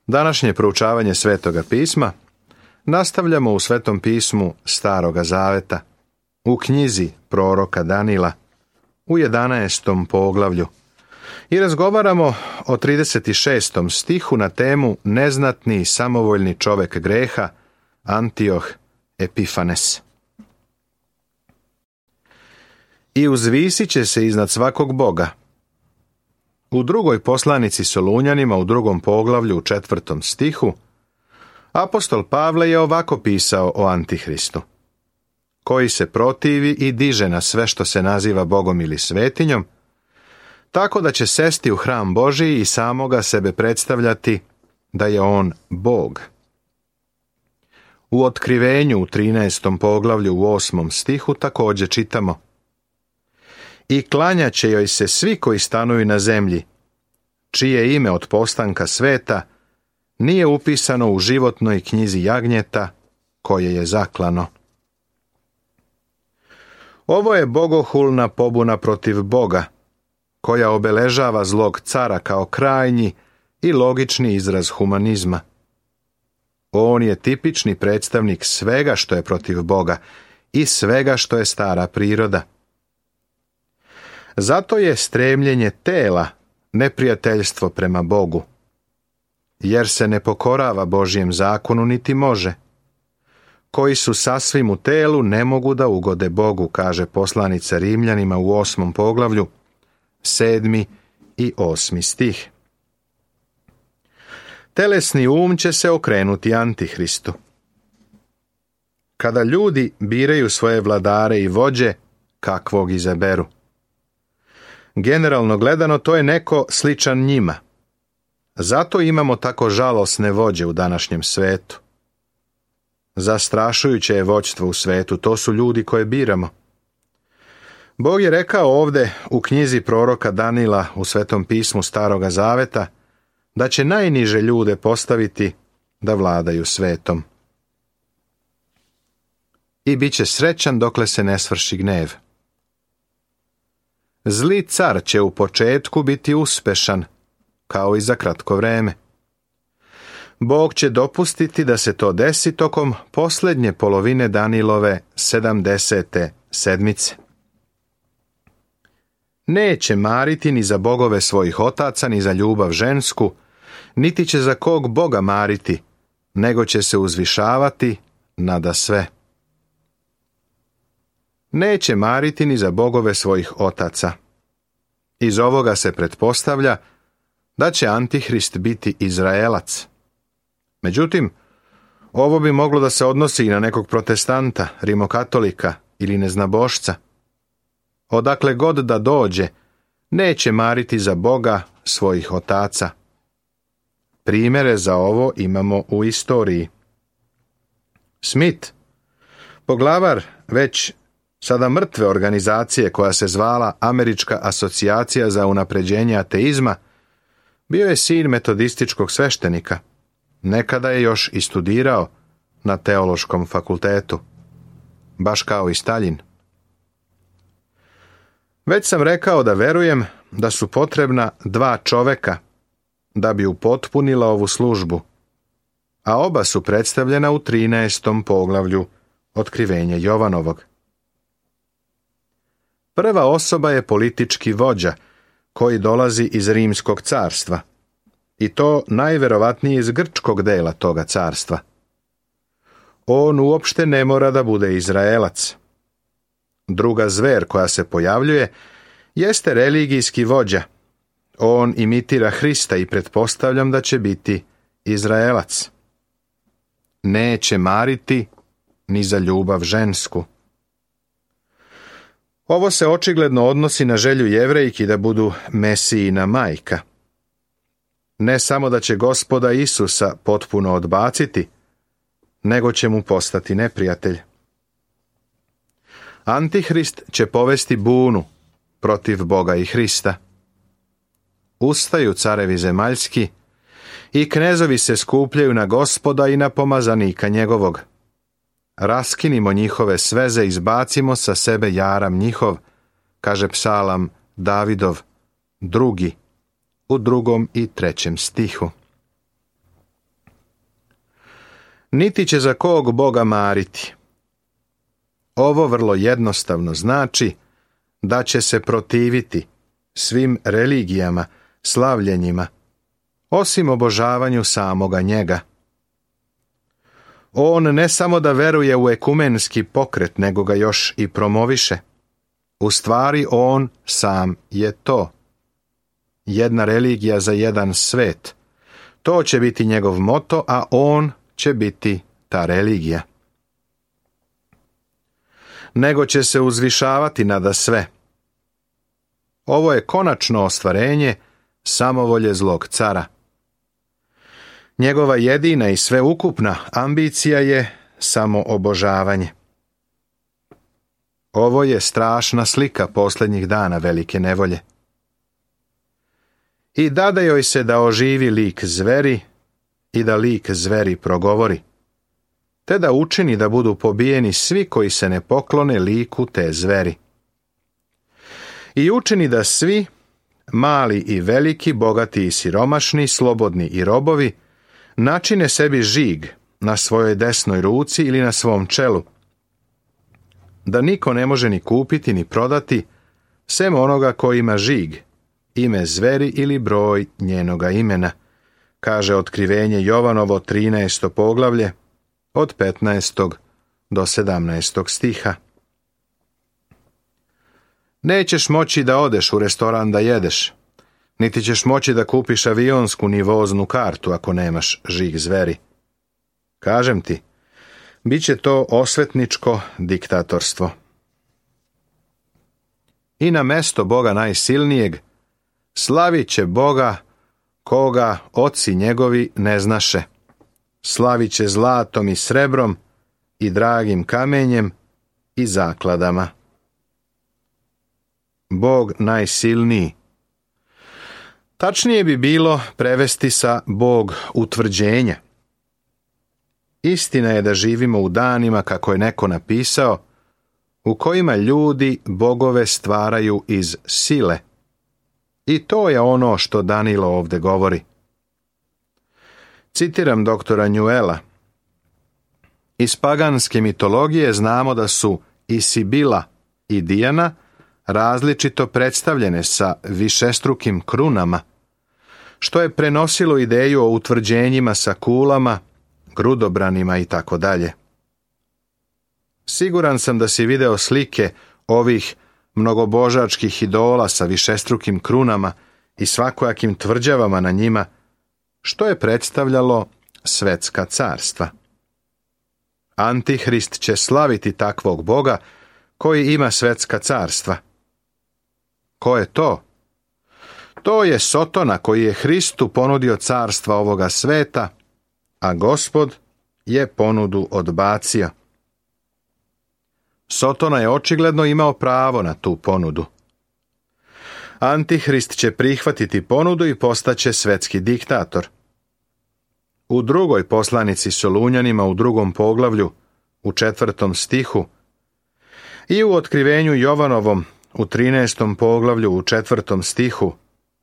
Današnje proučavanje Svetoga pisma nastavljamo u Svetom pismu Staroga Zaveta, u knjizi proroka Danila, u 11. poglavlju, i razgovaramo o 36. stihu na temu neznatni i samovoljni čovjek greha, Antioh Epifanes. I uzvisit će se iznad svakog Boga. U drugoj poslanici Solunjanima u 2. poglavlju u 4. stihu apostol Pavle je ovako pisao o Antihristu: koji se protivi i diže na sve što se naziva Bogom ili svetinjom, tako da će sesti u hram Božiji i samoga sebe predstavljati da je on Bog. U Otkrivenju u 13. poglavlju u 8. stihu također čitamo: i klanjat će joj se svi koji stanuju na zemlji, čije ime od postanka sveta nije upisano u životnoj knjizi jagnjeta koje je zaklano. Ovo je bogohulna pobuna protiv Boga, koja obeležava zlog cara kao krajnji i logični izraz humanizma. On je tipični predstavnik svega što je protiv Boga i svega što je stara priroda. Zato je stremljenje tela neprijateljstvo prema Bogu, jer se ne pokorava Božjem zakonu niti može. Koji su sasvim u telu ne mogu da ugode Bogu, kaže poslanica Rimljanima u 8. poglavlju, 7. i 8. stih. Telesni um će se okrenuti Antihristu. Kada ljudi biraju svoje vladare i vođe, kakvog izaberu? Generalno gledano, to je neko sličan njima. Zato imamo tako žalosne vođe u današnjem svetu. Zastrašujuće je vođstvo u svetu, to su ljudi koje biramo. Bog je rekao ovdje u knjizi proroka Danila u Svetom pismu Staroga Zaveta da će najniže ljude postaviti da vladaju svetom. I bit će srećan dokle se ne svrši gnjev. Zli car će u početku biti uspešan, kao i za kratko vreme. Bog će dopustiti da se to desi tokom posljednje polovine Danilove 70. sedmice. Neće mariti ni za bogove svojih otaca, ni za ljubav žensku, niti će za kog Boga mariti, nego će se uzvišavati nada sve. Neće mariti ni za bogove svojih otaca. Iz ovoga se pretpostavlja da će Antihrist biti Izraelac. Međutim, ovo bi moglo da se odnosi i na nekog protestanta, rimokatolika ili neznabošca. Odakle god da dođe, neće mariti za Boga svojih otaca. Primjere za ovo imamo u istoriji. Smith, poglavar već sada mrtve organizacije koja se zvala Američka asocijacija za unapređenje ateizma, bio je sin metodističkog sveštenika. Nekada je još i studirao na teološkom fakultetu, baš kao i Staljin. Već sam rekao da verujem da su potrebna 2 čoveka da bi upotpunila ovu službu, a oba su predstavljena u 13. poglavlju Otkrivenja Jovanovog. Prva osoba je politički vođa koji dolazi iz Rimskog carstva, i to najverovatnije iz grčkog dela toga carstva. On uopšte ne mora da bude Izraelac. Druga zver koja se pojavljuje jeste religijski vođa. On imitira Hrista i pretpostavljam da će biti Izraelac. Neće mariti ni za ljubav žensku. Ovo se očigledno odnosi na želju Jevrejki da budu Mesijina majka. Ne samo da će Gospoda Isusa potpuno odbaciti, nego će mu postati neprijatelj. Antihrist će povesti bunu protiv Boga i Hrista. Ustaju carevi zemaljski i knezovi se skupljaju na Gospoda i na pomazanika njegovog. Raskinimo njihove sveze, izbacimo sa sebe jaram njihov, kaže psalam Davidov, 2. u 2. i 3. stihu. niti će za kog Boga mariti. Ovo vrlo jednostavno znači da će se protiviti svim religijama, slavljenjima, osim obožavanju samoga njega. On ne samo da veruje u ekumenski pokret, nego ga još i promoviše. U stvari on sam je to. Jedna religija za jedan svet. To će biti njegov moto, a on će biti ta religija. Nego će se uzvišavati nada sve. Ovo je konačno ostvarenje samovolje zlog cara. Njegova jedina i sveukupna ambicija je samoobožavanje. Ovo je strašna slika posljednjih dana velike nevolje. I dade joj se da oživi lik zveri i da lik zveri progovori, te da učini da budu pobijeni svi koji se ne poklone liku te zveri. I učini da svi, mali i veliki, bogati i siromašni, slobodni i robovi, načine sebi žig na svojoj desnoj ruci ili na svom čelu, da niko ne može ni kupiti ni prodati, sem onoga ko ima žig, ime zveri ili broj njenoga imena, kaže Otkrivenje Jovanovo 13. poglavlje od 15. do 17. stiha. Nećeš moći da odeš u restoran da jedeš, niti ćeš moći da kupiš avionsku ni voznu kartu ako nemaš žig zveri. Kažem ti, bit će to osvetničko diktatorstvo. I na mesto Boga najsilnijeg slavit će Boga koga oci njegovi ne znaše. Slavit će zlatom i srebrom i dragim kamenjem i zakladama. Bog najsilniji. Tačnije bi bilo prevesti sa Bog utvrđenja. Istina je da živimo u danima, kako je neko napisao, u kojima ljudi bogove stvaraju iz sile. I to je ono što Danilo ovdje govori. Citiram doktora Njuela. Iz paganske mitologije znamo da su i Sibila i Dijana različito predstavljene sa višestrukim krunama, što je prenosilo ideju o utvrđenjima sa kulama, grudobranima i tako dalje. Siguran sam da si video slike ovih mnogobožačkih idola sa višestrukim krunama i svakojakim tvrđavama na njima, što je predstavljalo svetska carstva. Antihrist će slaviti takvog Boga koji ima svetska carstva. Ko je to? To je Sotona koji je Hristu ponudio carstva ovoga sveta, a Gospod je ponudu odbacio. Sotona je očigledno imao pravo na tu ponudu. Antihrist će prihvatiti ponudu i postaće svetski diktator. U drugoj poslanici Solunjanima u 2. poglavlju, u 4. stihu, i u Otkrivenju Jovanovom u 13. poglavlju u 4. stihu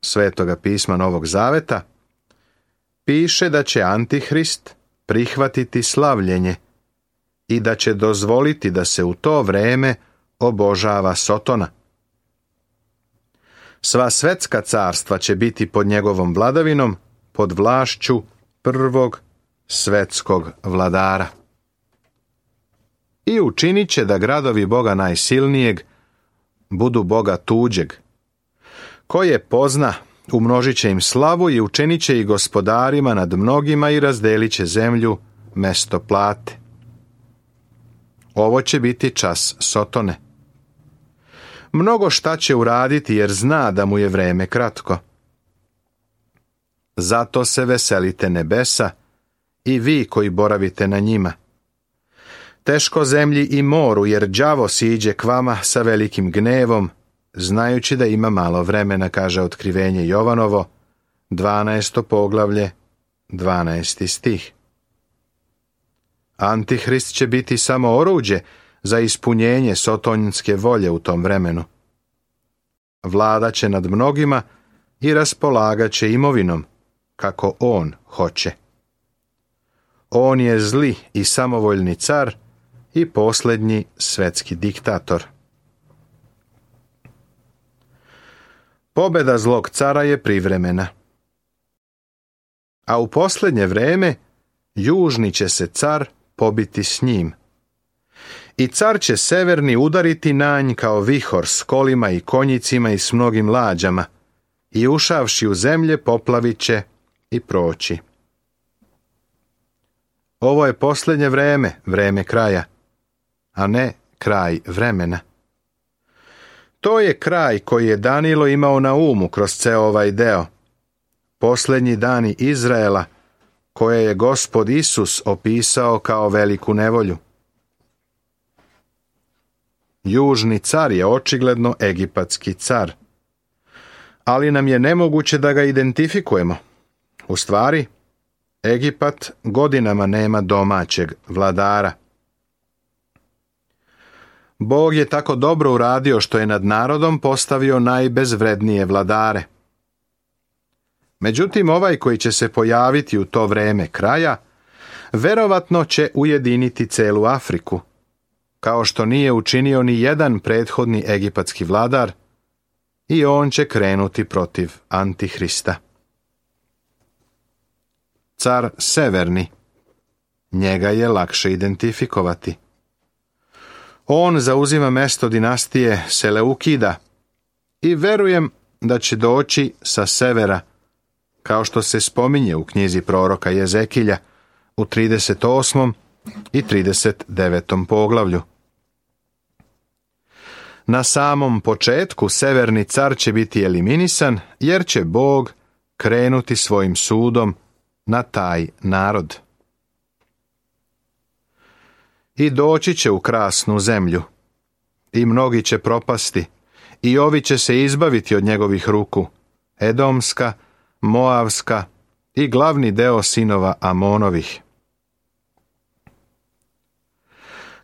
Svetoga pisma Novog Zaveta, piše da će Antihrist prihvatiti slavljenje i da će dozvoliti da se u to vreme obožava Sotona. Sva svetska carstva će biti pod njegovom vladavinom, pod vlašću prvog svetskog vladara. I učinit će da gradovi Boga najsilnijeg budu Boga tuđeg. Koje pozna, umnožit će im slavu i učinit će ih gospodarima nad mnogima i razdelit će zemlju mesto plate. Ovo će biti čas Sotone. Mnogo šta će uraditi jer zna da mu je vreme kratko. Zato se veselite nebesa i vi koji boravite na njima. Teško zemlji i moru, jer đavo siđe k vama sa velikim gnevom, znajući da ima malo vremena, kaže Otkrivenje Jovanovo, 12. poglavlje, 12. stih. Antihrist će biti samo oruđe za ispunjenje sotonjske volje u tom vremenu. Vlada će nad mnogima i raspolagat će imovinom, kako on hoće. On je zli i samovoljni car i posljednji svetski diktator. Pobjeda zlog cara je privremena. A u posljednje vrijeme južni će se car pobiti s njim. I car će severni udariti na nj kao vihor s kolima i konjicima i s mnogim lađama, i ušavši u zemlje poplavit će i proći. Ovo je posljednje vrijeme, vrijeme kraja, a ne kraj vremena. To je kraj koji je Danilo imao na umu kroz ceo ovaj deo. Posljednji dani Izraela, koje je Gospod Isus opisao kao veliku nevolju. Južni car je očigledno egipatski car, ali nam je nemoguće da ga identifikujemo. U stvari, Egipat godinama nema domaćeg vladara. Bog je tako dobro uradio što je nad narodom postavio najbezvrednije vladare. Međutim, ovaj koji će se pojaviti u to vrijeme kraja, verovatno će ujediniti celu Afriku, kao što nije učinio ni jedan prethodni egipatski vladar, i on će krenuti protiv Antihrista. Car severni, njega je lakše identifikovati. On zauzima mjesto dinastije Seleukida i verujem da će doći sa severa, kao što se spominje u knjizi proroka Jezekilja u 38. i 39. poglavlju. Na samom početku severni car će biti eliminisan, jer će Bog krenuti svojim sudom na taj narod. I doći će u krasnu zemlju, i mnogi će propasti, i ovi će se izbaviti od njegovih ruku, Edomska, Moavska i glavni deo sinova Amonovih.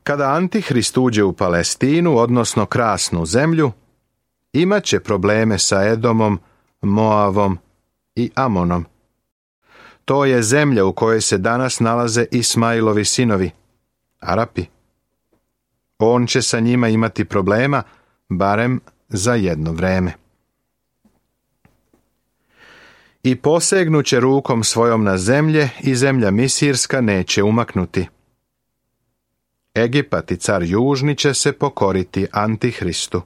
Kada Antihrist uđe u Palestinu, odnosno krasnu zemlju, imat će probleme sa Edomom, Moavom i Amonom. To je zemlja u kojoj se danas nalaze Ismailovi sinovi, Arapi. On će sa njima imati problema, barem za jedno vrijeme. I posegnuće rukom svojom na zemlje i zemlja Misirska neće umaknuti. Egipat i car južni će se pokoriti Antihristu.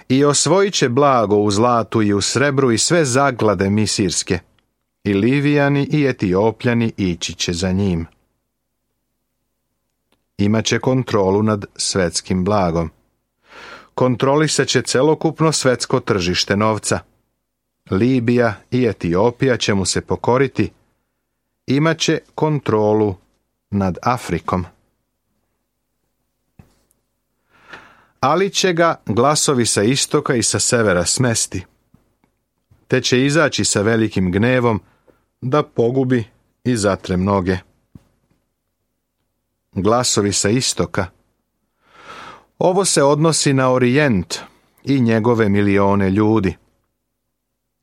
I osvojit će blago u zlatu i u srebru i sve zaglade misirske, i Livijani i Etiopljani ići će za njim. Imaće kontrolu nad svetskim blagom. Kontrolisat će celokupno svetsko tržište novca. Libija i Etiopija će mu se pokoriti. Imaće kontrolu nad Afrikom. Ali će ga glasovi sa istoka i sa severa smesti, te će izaći sa velikim gnevom da pogubi i zatre mnoge. Glasovi sa istoka. Ovo se odnosi na Orijent i njegove milione ljudi.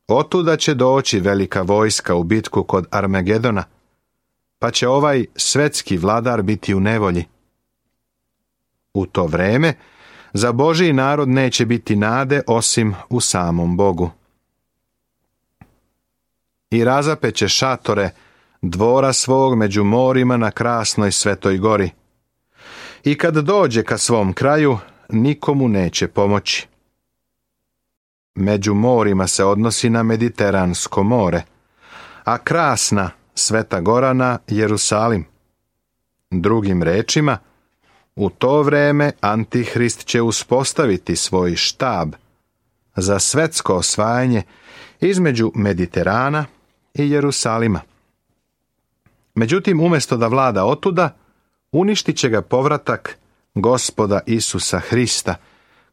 Otuda će doći velika vojska u bitku kod Armagedona, pa će ovaj svetski vladar biti u nevolji. U to vrijeme za Božji narod neće biti nade osim u samom Bogu. I razapeće šatore dvora svog među morima na krasnoj Svetoj gori. I kad dođe ka svom kraju, nikomu neće pomoći. Među morima se odnosi na Mediteransko more, a krasna Sveta gora na Jerusalim. Drugim rečima, u to vrijeme Antihrist će uspostaviti svoj štab za svetsko osvajanje između Mediterana i Jerusalima. Međutim, umjesto da vlada otuda, uništit će ga povratak Gospoda Isusa Hrista,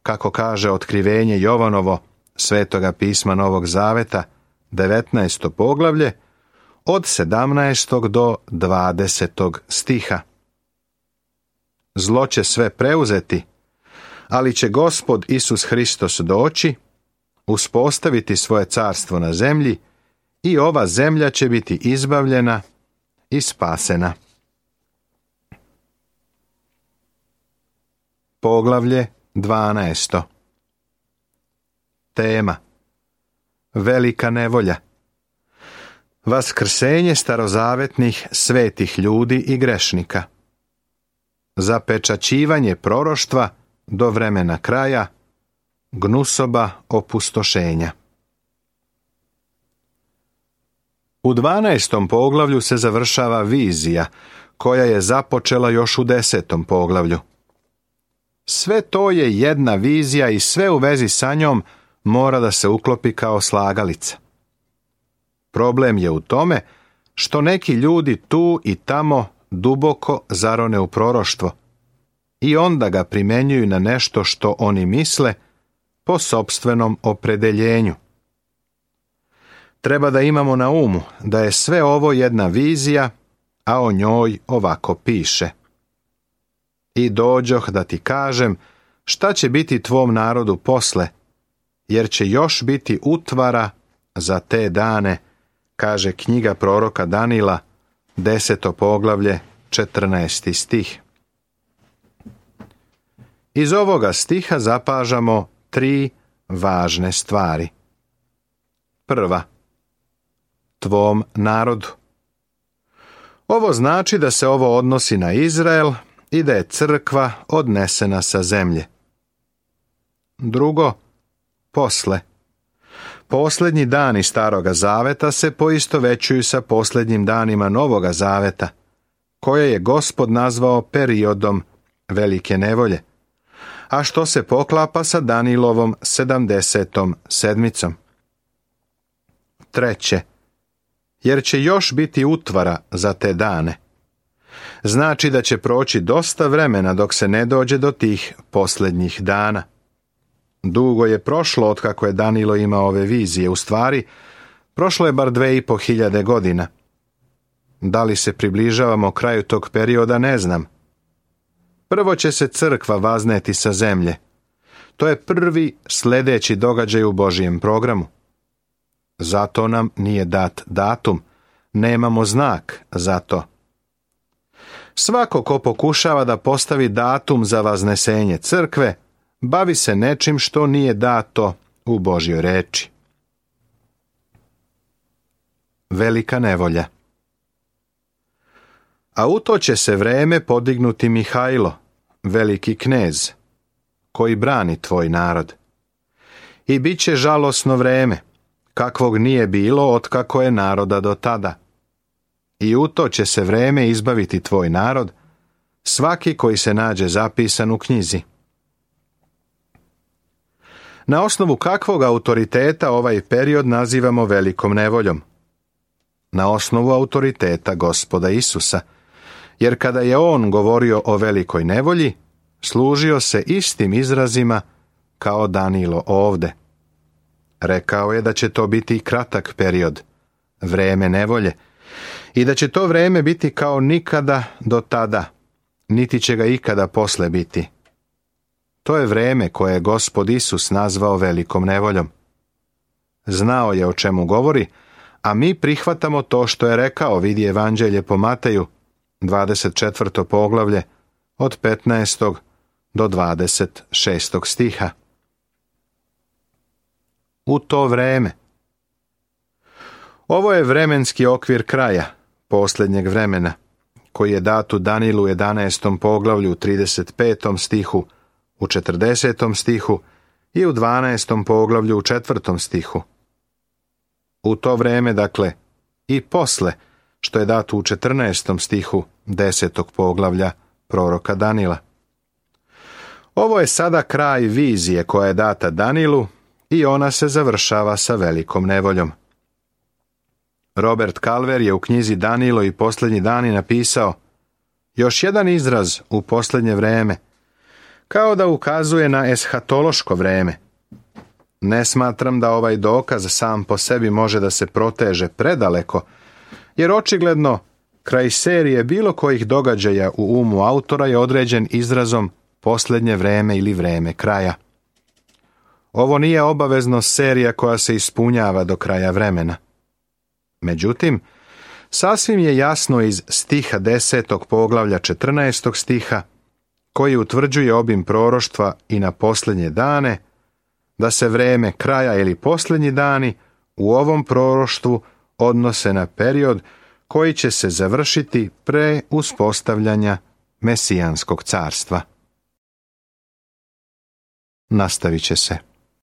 kako kaže otkrivenje Jovanovo, Svetoga pisma Novog Zaveta, 19. poglavlje, od 17. do 20. stiha. Zlo će sve preuzeti, ali će Gospod Isus Hristos doći, uspostaviti svoje carstvo na zemlji i ova zemlja će biti izbavljena i spasena. Poglavlje 12. Tema: Velika nevolja. Vaskrsenje starozavetnih svetih ljudi i grešnika. Zapečaćivanje proroštva do vremena kraja. Gnusoba opustošenja. U 12. poglavlju se završava vizija koja je započela još u 10. poglavlju. Sve to je jedna vizija i sve u vezi sa njom mora da se uklopi kao slagalica. Problem je u tome što neki ljudi tu i tamo duboko zarone u proroštvo i onda ga primenjuju na nešto što oni misle po sopstvenom opredeljenju. Treba da imamo na umu da je sve ovo jedna vizija, a o njoj ovako piše: I dođoh da ti kažem šta će biti tvom narodu posle, jer će još biti utvara za te dane, kaže knjiga proroka Danila, 10. poglavlje, 14. stih. Iz ovoga stiha zapažamo 3 važne stvari. Prva: tvom narodu. Ovo znači da se ovo odnosi na Izrael i da je crkva odnesena sa zemlje. Drugo: posle. Posljednji dani Staroga Zaveta se poistovećuju sa posljednjim danima Novoga Zaveta, koje je Gospod nazvao periodom velike nevolje, a što se poklapa sa Danilovom 70. sedmicom. Treće: jer će još biti utvara za te dane. Znači da će proći dosta vremena dok se ne dođe do tih posljednjih dana. Dugo je prošlo otkako je Danilo imao ove vizije, u stvari prošlo je bar 2500 godina. Da li se približavamo kraju tog perioda, ne znam. Prvo će se crkva vazneti sa zemlje. To je prvi sljedeći događaj u Božijem programu. Zato nam nije dat datum, nemamo znak za to. Svako ko pokušava da postavi datum za vaznesenje crkve, bavi se nečim što nije dato u Božjoj reči. Velika nevolja. A u to će se vreme podignuti Mihajlo, veliki knez, koji brani tvoj narod. I bit će žalosno vreme, kakvog nije bilo otkako je naroda do tada. I u to će se vreme izbaviti tvoj narod, svaki koji se nađe zapisan u knjizi. Na osnovu kakvog autoriteta ovaj period nazivamo velikom nevoljom? Na osnovu autoriteta Gospoda Isusa, jer kada je on govorio o velikoj nevolji, služio se istim izrazima kao Danilo ovde. Rekao je da će to biti kratak period, vreme nevolje, i da će to vreme biti kao nikada do tada, niti će ga ikada posle biti. To je vreme koje je Gospod Isus nazvao velikom nevoljom. Znao je o čemu govori, a mi prihvatamo to što je rekao, vidi Evanđelje po Mateju, 24. poglavlje, od 15. do 26. stiha. U to vreme. Ovo je vremenski okvir kraja, posljednjeg vremena, koji je dat u Danilu 11. poglavlju, 35. stihu, u 40. stihu i u 12. poglavlju u 4. stihu. U to vreme, dakle, i posle, što je dato u 14. stihu 10. poglavlja proroka Danila. Ovo je sada kraj vizije koja je data Danilu i ona se završava sa velikom nevoljom. Robert Calver je u knjizi Danilo i posljednji dani napisao: još jedan izraz u posljednje vreme, kao da ukazuje na eshatološko vreme. Ne smatram da ovaj dokaz sam po sebi može da se proteže predaleko, jer očigledno kraj serije bilo kojih događaja u umu autora je određen izrazom posljednje vreme ili vreme kraja. Ovo nije obavezno serija koja se ispunjava do kraja vremena. Međutim, Sasvim je jasno iz stiha 10. poglavlja 14. stiha, koji utvrđuje obim proroštva i na posljednje dane, da se vreme kraja ili posljednji dani u ovom proroštvu odnose na period koji će se završiti pre uspostavljanja Mesijanskog carstva. Nastavit će se.